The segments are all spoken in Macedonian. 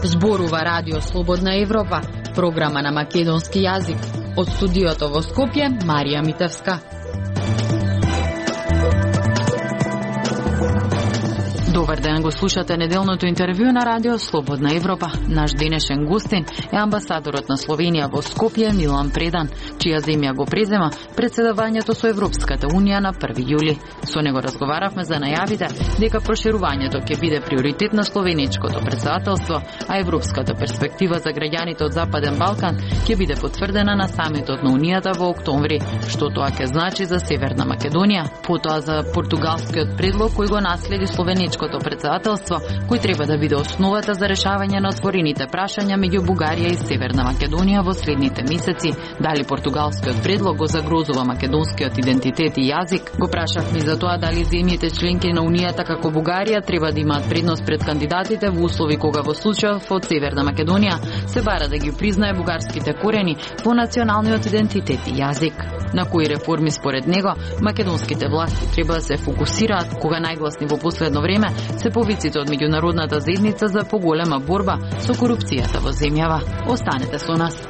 Зборува Радио Слободна Европа, програма на македонски јазик. Од студиото во Скопје, Марија Митевска. Добар ден, го слушате неделното интервју на Радио Слободна Европа. Наш денешен гостин е амбасадорот на Словенија во Скопје Милан Предан, чија земја го презема председавањето со Европската Унија на 1 јули. Со него разговаравме за најавите дека проширувањето ќе биде приоритет на словеничкото председателство, а европската перспектива за граѓаните од Западен Балкан ќе биде потврдена на самитот на Унијата во октомври, што тоа ќе значи за Северна Македонија, потоа за португалскиот предлог кој го наследи словеничкото председателство, кој треба да биде основата за решавање на отворените прашања меѓу Бугарија и Северна Македонија во следните месеци. Дали португалскиот предлог го загрозува македонскиот идентитет и јазик? Го прашавме за тоа дали земјите членки на Унијата како Бугарија треба да имаат предност пред кандидатите во услови кога во случајов од Северна Македонија се бара да ги признае бугарските корени во националниот идентитет и јазик. На кои реформи според него македонските власти треба да се фокусираат кога најгласни во последно време се повиците од меѓународната заедница за поголема борба со корупцијата во земјава. Останете со нас.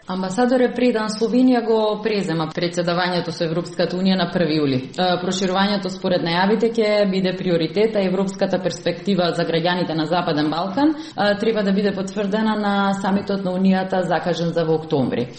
Амбасадоре Предан, Словенија го презема председавањето со Европската Унија на 1 јули. Проширувањето според најавите ќе биде приоритет, а европската перспектива за граѓаните на Западен Балкан треба да биде потврдена на самитот на Унијата закажан за во октомври.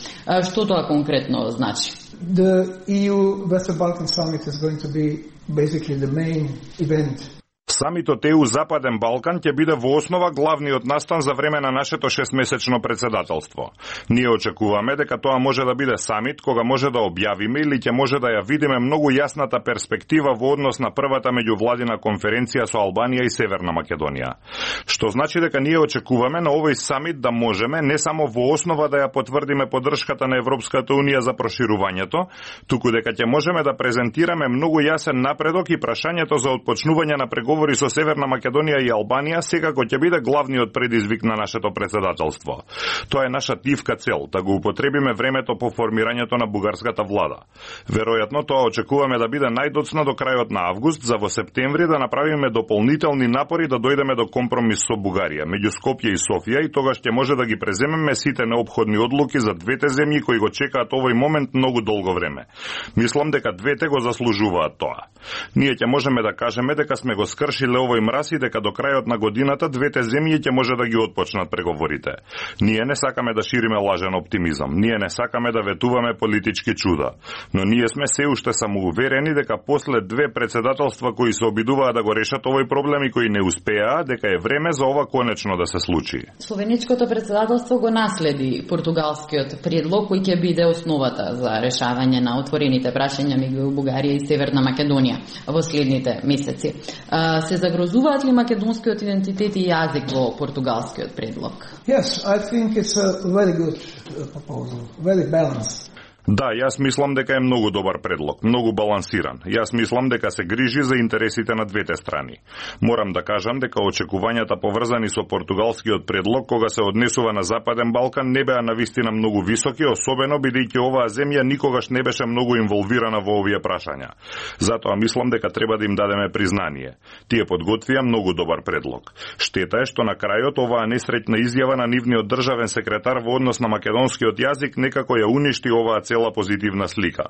Што тоа конкретно значи? The EU Western Balkan Summit is going to be basically the main event. Самитот ЕУ Западен Балкан ќе биде во основа главниот настан за време на нашето 6-месечно председателство. Ние очекуваме дека тоа може да биде самит кога може да објавиме или ќе може да ја видиме многу јасната перспектива во однос на првата меѓувладина конференција со Албанија и Северна Македонија. Што значи дека ние очекуваме на овој самит да можеме не само во основа да ја потврдиме поддршката на Европската Унија за проширувањето, туку дека ќе можеме да презентираме многу јасен напредок и прашањето за отпочнување на преговори со Северна Македонија и Албанија секако ќе биде главниот предизвик на нашето председателство. Тоа е наша тивка цел, да го употребиме времето по формирањето на бугарската влада. Веројатно тоа очекуваме да биде најдоцна до крајот на август, за во септември да направиме дополнителни напори да дојдеме до компромис со Бугарија, меѓу Скопје и Софија, и тогаш ќе може да ги преземеме сите неопходни одлуки за двете земји кои го чекаат овој момент многу долго време. Мислам дека двете го заслужуваат тоа. Ние ќе можеме да кажеме дека сме го скршиле овој мраз и дека до крајот на годината двете земји ќе може да ги отпочнат преговорите. Ние не сакаме да шириме лажен оптимизам, ние не сакаме да ветуваме политички чуда, но ние сме се уште самоуверени дека после две председателства кои се обидуваат да го решат овој проблем и кои не успеа, дека е време за ова конечно да се случи. Словеничкото председателство го наследи португалскиот предлог кој ќе биде основата за решавање на отворените прашања меѓу Бугарија и Северна Македонија во следните месеци. Се загрозуваат ли македонскиот идентитет и јазик во португалскиот предлог? Yes, I think it's a very good proposal, very balanced. Да, јас мислам дека е многу добар предлог, многу балансиран. Јас мислам дека се грижи за интересите на двете страни. Морам да кажам дека очекувањата поврзани со португалскиот предлог кога се однесува на Западен Балкан не беа навистина многу високи, особено бидејќи оваа земја никогаш не беше многу инволвирана во овие прашања. Затоа мислам дека треба да им дадеме признание. Тие подготвија многу добар предлог. Штета е што на крајот оваа несреќна изјава на нивниот државен секретар во однос на македонскиот јазик некако ја уништи оваа цела позитивна слика.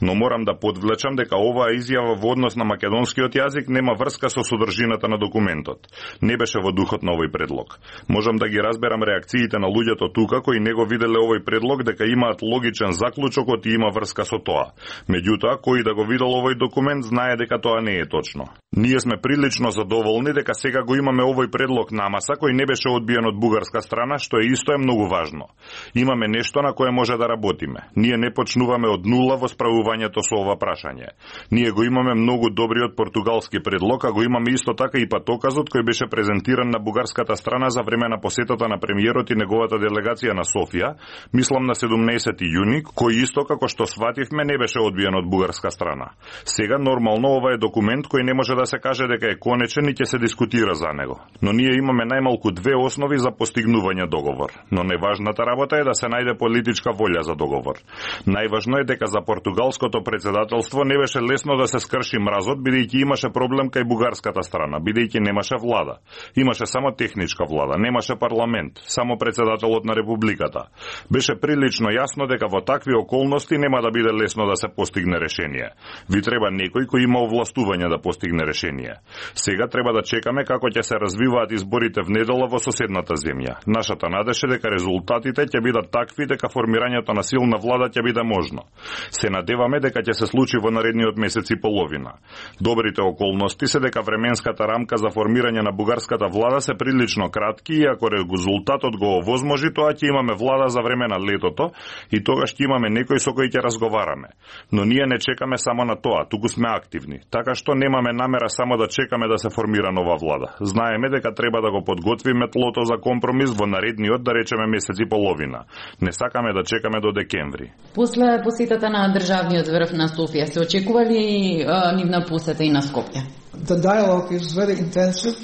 Но морам да подвлечам дека оваа изјава во однос на македонскиот јазик нема врска со содржината на документот. Не беше во духот на овој предлог. Можам да ги разберам реакциите на луѓето тука кои не го виделе овој предлог дека имаат логичен заклучок и има врска со тоа. Меѓутоа, кој да го видел овој документ знае дека тоа не е точно. Ние сме прилично задоволни дека сега го имаме овој предлог на маса кој не беше одбиен од бугарска страна, што е исто многу важно. Имаме нешто на кое може да работиме. Ние не почнуваме од нула во справувањето со ова прашање. Ние го имаме многу добриот португалски предлог, а го имаме исто така и патоказот кој беше презентиран на бугарската страна за време на посетата на премиерот и неговата делегација на Софија, мислам на 17 јуни, кој исто како што свативме не беше одбиен од бугарска страна. Сега нормално ова е документ кој не може да се каже дека е конечен и ќе се дискутира за него. Но ние имаме најмалку две основи за постигнување договор. Но неважната работа е да се најде политичка волја за договор. Најважно е дека за португалското председателство не беше лесно да се скрши мразот, бидејќи имаше проблем кај бугарската страна, бидејќи немаше влада. Имаше само техничка влада, немаше парламент, само председателот на републиката. Беше прилично јасно дека во такви околности нема да биде лесно да се постигне решение. Ви треба некој кој има овластување да постигне решение. Сега треба да чекаме како ќе се развиваат изборите в недела во соседната земја. Нашата надеж е дека резултатите ќе бидат такви дека формирањето на силна влада ќе биде можно. Се надеваме дека ќе се случи во наредниот месец и половина. Добрите околности се дека временската рамка за формирање на бугарската влада се прилично кратки и ако резултатот го овозможи, тоа ќе имаме влада за време на летото и тогаш ќе имаме некој со кој ќе разговараме. Но ние не чекаме само на тоа, туку сме активни. Така што немаме намера само да чекаме да се формира нова влада. Знаеме дека треба да го подготвиме тлото за компромис во наредниот, да речеме, месец и половина. Не сакаме да чекаме до декември. После посетата на државниот врв на Софија, се очекува ли нивна посета и на Скопје? The dialogue is very intensive.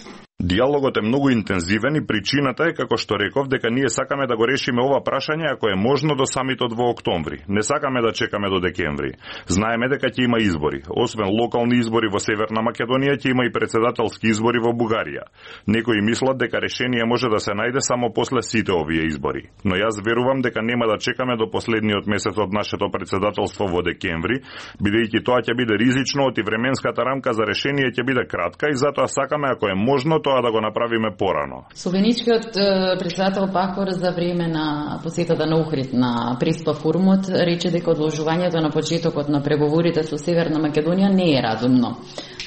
Диалогот е многу интензивен и причината е, како што реков, дека ние сакаме да го решиме ова прашање ако е можно до самитот во октомври. Не сакаме да чекаме до декември. Знаеме дека ќе има избори. Освен локални избори во Северна Македонија, ќе има и председателски избори во Бугарија. Некои мислат дека решение може да се најде само после сите овие избори. Но јас верувам дека нема да чекаме до последниот месец од нашето председателство во декември, бидејќи тоа ќе биде ризично и временската рамка за решение ќе биде кратка и затоа сакаме ако е можно тоа да го направиме порано. Словеничкиот председател Пахор за време на посетата на Охрид на Преспа форумот рече дека одложувањето на почетокот на преговорите со Северна Македонија не е разумно.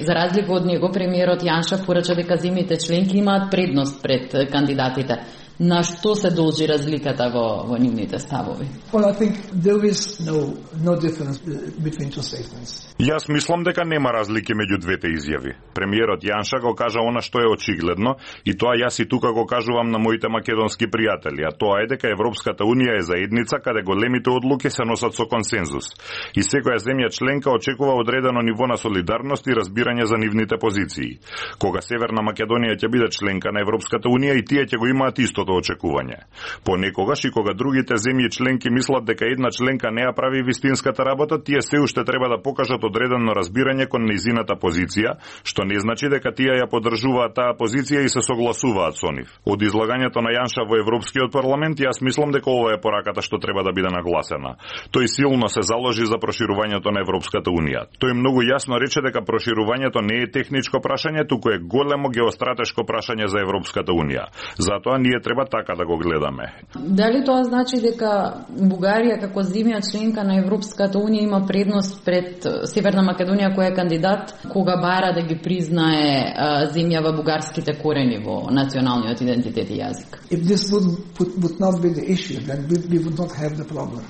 За разлика од него, премиерот Јанша порача дека земјите членки имаат предност пред кандидатите. На што се должи разликата во нивните ставови? Well, I think there is no difference between two statements. Јас мислам дека нема разлики меѓу двете изјави. Премиерот Јанша го кажа она што е очигледно и тоа јас и тука го кажувам на моите македонски пријатели, а тоа е дека Европската унија е заедница каде големите одлуки се носат со консензус. И секоја земја членка очекува одредено ниво на солидарност и разбирање за нивните позиции. Кога Северна Македонија ќе биде членка на Европската унија и тие ќе го имаат истото очекување. Понекогаш и кога другите земји членки мислат дека една членка не ја прави вистинската работа, тие се уште треба да покажат одредено разбирање кон нејзината позиција, што не значи дека тие ја поддржуваат таа позиција и се согласуваат со нив. Од излагањето на Јанша во Европскиот парламент, јас мислам дека ова е пораката што треба да биде нагласена. Тој силно се заложи за проширувањето на Европската унија. Тој многу јасно рече дека проширувањето не е техничко прашање, туку е големо геостратешко прашање за Европската унија. Затоа ние треба така да го гледаме. Дали тоа значи дека Бугарија како земја членка на Европската унија има предност пред Северна Македонија која е кандидат, кога бара да ги признае земја во бугарските корени во националниот идентитет и јазик? If this would not be the issue, then we would not have the problem.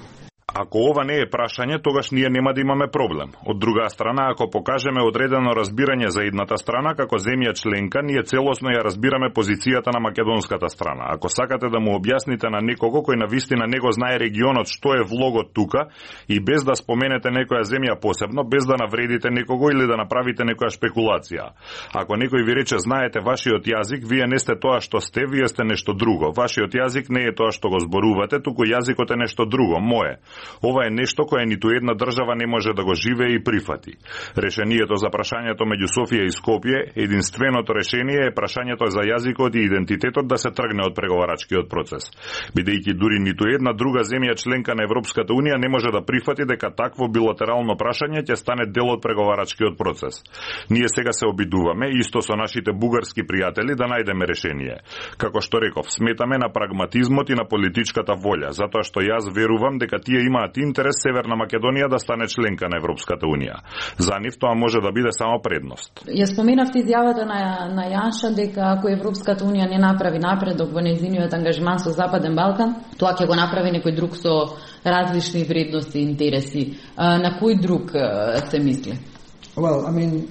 Ако ова не е прашање, тогаш ние нема да имаме проблем. Од друга страна, ако покажеме одредено разбирање за едната страна, како земја членка, ние целосно ја разбираме позицијата на македонската страна. Ако сакате да му објасните на некого кој навистина него знае регионот што е влогот тука и без да споменете некоја земја посебно, без да навредите некого или да направите некоја шпекулација. Ако некој ви рече знаете вашиот јазик, вие не сте тоа што сте, вие сте нешто друго. Вашиот јазик не е тоа што го зборувате, туку јазикот е нешто друго, мое. Ова е нешто кое ниту една држава не може да го живее и прифати. Решението за прашањето меѓу Софија и Скопје, единственото решение е прашањето за јазикот и идентитетот да се тргне од преговарачкиот процес. Бидејќи дури ниту една друга земја членка на Европската унија не може да прифати дека такво билатерално прашање ќе стане дел од преговарачкиот процес. Ние сега се обидуваме, исто со нашите бугарски пријатели, да најдеме решение. Како што реков, сметаме на прагматизмот и на политичката волја, затоа што јас верувам дека тие имаат интерес Северна Македонија да стане членка на Европската унија. За нив тоа може да биде само предност. Ја споменавте изјавата на Јанша дека ако Европската унија не направи напредок во нејзиниот ангажман со Западен Балкан, тоа ќе го направи некој друг со различни вредности и интереси. На кој друг се мисли? Well, I mean,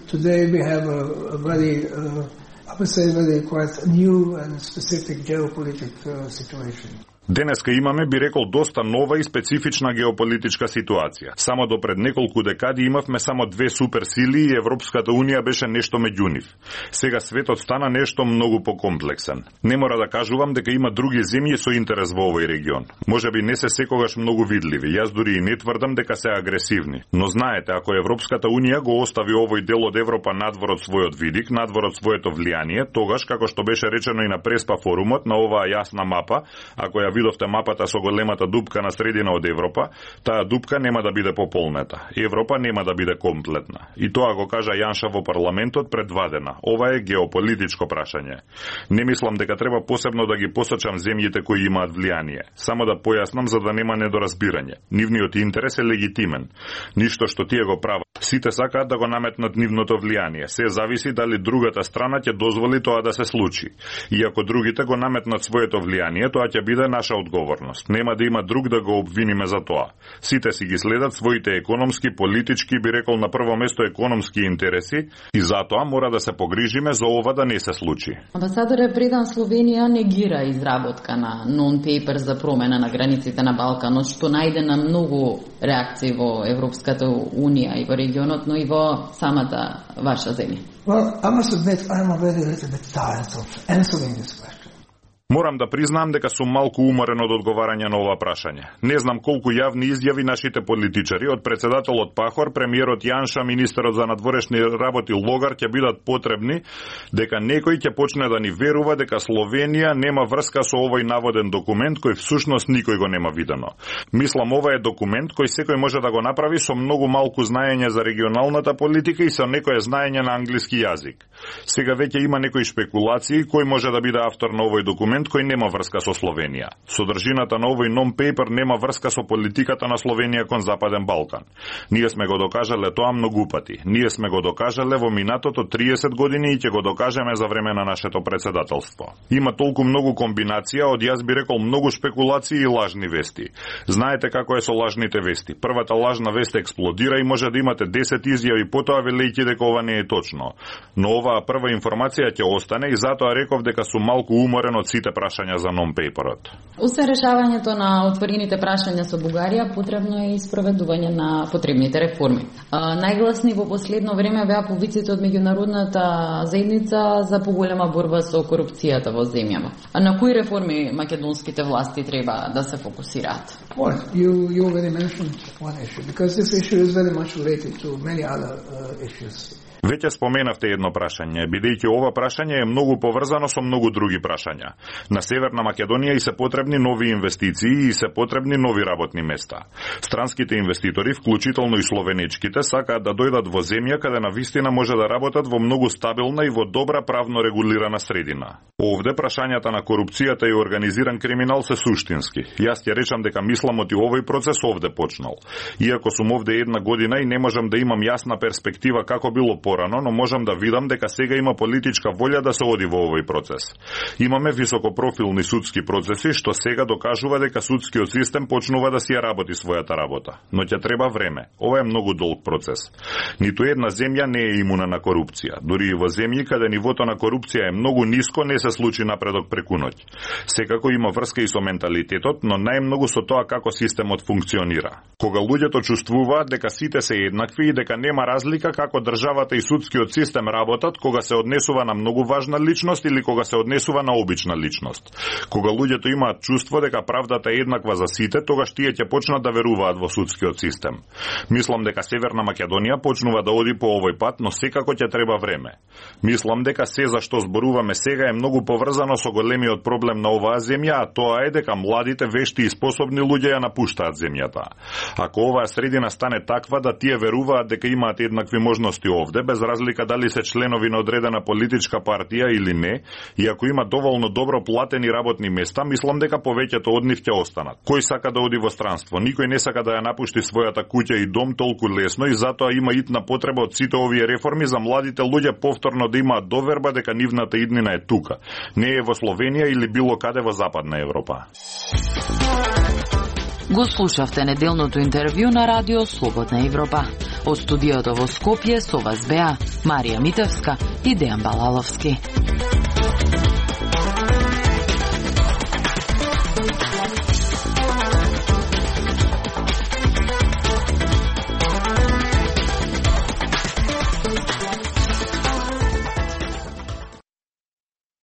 today we have a very, I would say, very quite new and specific geopolitical situation. Денеска имаме, би рекол, доста нова и специфична геополитичка ситуација. Само до пред неколку декади имавме само две суперсили и Европската унија беше нешто меѓу нив. Сега светот стана нешто многу покомплексен. Не мора да кажувам дека има други земји со интерес во овој регион. Можеби не се секогаш многу видливи. Јас дури и не тврдам дека се агресивни. Но знаете, ако Европската унија го остави овој дел од Европа надвор од својот видик, надвор од своето влијание, тогаш, како што беше речено и на Преспа форумот, на оваа јасна мапа, ако ја видовте мапата со големата дупка на средина од Европа, таа дупка нема да биде пополнета. Европа нема да биде комплетна. И тоа го кажа Јанша во парламентот пред 2 дена. Ова е геополитичко прашање. Не мислам дека треба посебно да ги посочам земјите кои имаат влијание. Само да појаснам за да нема недоразбирање. Нивниот интерес е легитимен. Ништо што тие го прават. Сите сакаат да го наметнат нивното влијание. Се зависи дали другата страна ќе дозволи тоа да се случи. И ако другите го наметнат своето влијание, тоа ќе биде наша одговорност. Нема да има друг да го обвиниме за тоа. Сите си ги следат своите економски, политички, би рекол на прво место економски интереси и затоа мора да се погрижиме за ова да не се случи. Амбасадоре Предан, Словенија негира изработка на нон-пейпер за промена на границите на Балканот, што најде на многу реакции во Европската унија и во регионот, но и во самата ваша земја. Well, I must admit I'm already a little bit tired of answering this question. Морам да признаам дека сум малку уморен од одговарање на ова прашање. Не знам колку јавни изјави нашите политичари, од председателот Пахор, премиерот Јанша, министерот за надворешни работи Логар ќе бидат потребни, дека некој ќе почне да ни верува дека Словенија нема врска со овој наводен документ кој всушност никој го нема видено. Мислам, ова е документ кој секој може да го направи со многу малку знаење за регионалната политика и со некое знаење на англиски јазик. Сега веќе има некои шпекулации кој може да биде автор на овој документ кој нема врска со Словенија. Содржината на овој non-paper нема врска со политиката на Словенија кон Западен Балкан. Ние сме го докажале тоа многу пати. Ние сме го докажале во минатото 30 години и ќе го докажеме за време на нашето председателство. Има толку многу комбинација, од јас би рекол многу шпекулации и лажни вести. Знаете како е со лажните вести. Првата лажна вест експлодира и може да имате 10 изјави потоа велејќи дека ова не е точно. Но оваа прва информација ќе остане и затоа реков дека сум малку уморен од сите прашања за non-paperот. Освен решавањето на отворените прашања со Бугарија, потребно е и спроведување на потребните реформи. Најгласни во последно време беа повиците од меѓународната заедница за поголема борба со корупцијата во земјава. А на кои реформи македонските власти треба да се фокусираат? Well, you already mentioned one issue, because this issue is very much related to many other issues. Веќе споменавте едно прашање, бидејќи ова прашање е многу поврзано со многу други прашања. На Северна Македонија и се потребни нови инвестиции и се потребни нови работни места. Странските инвеститори, вклучително и словенечките, сакаат да дојдат во земја каде навистина може да работат во многу стабилна и во добра правно регулирана средина. Овде прашањата на корупцијата и организиран криминал се суштински. Јас ќе речам дека мисламот и овој процес овде почнал. Иако сум овде 1 година и не можам да имам јасна перспектива како било порано, но можам да видам дека сега има политичка волја да се оди во овој процес. Имаме високопрофилни судски процеси, што сега докажува дека судскиот систем почнува да си ја работи својата работа. Но ќе треба време. Ова е многу долг процес. Ниту една земја не е имуна на корупција. Дури и во земји каде нивото на корупција е многу ниско, не се случи напредок преку ноќ. Секако има врска и со менталитетот, но најмногу со тоа како системот функционира. Кога луѓето чувствуваат дека сите се еднакви и дека нема разлика како државата и судскиот систем работат, кога се однесува на многу важна личност или кога се однесува на обична личност. Кога луѓето имаат чувство дека правдата е еднаква за сите, тогаш тие ќе почнат да веруваат во судскиот систем. Мислам дека Северна Македонија почнува да оди по овој пат, но секако ќе треба време. Мислам дека се за што зборуваме сега е многу поврзано со големиот проблем на оваа земја, а тоа е дека младите, вешти и способни луѓе ја напуштаат земјата. Ако оваа средина стане таква да тие веруваат дека имаат еднакви можности овде, без разлика дали се членови на одредена политичка партија или не, и ако има доволно добро платени работни места, мислам дека повеќето од нив ќе останат. Кој сака да оди во странство? Никој не сака да ја напушти својата куќа и дом толку лесно, и затоа има итна потреба од сите овие реформи за младите луѓе повторно да имаат доверба дека нивната иднина е тука. Не е во Словенија или било каде во Западна Европа. Го слушавте неделното интервју на Радио Слободна Европа. Од студиото во Скопје со вас беа Марија Митевска и Дејан Балаловски.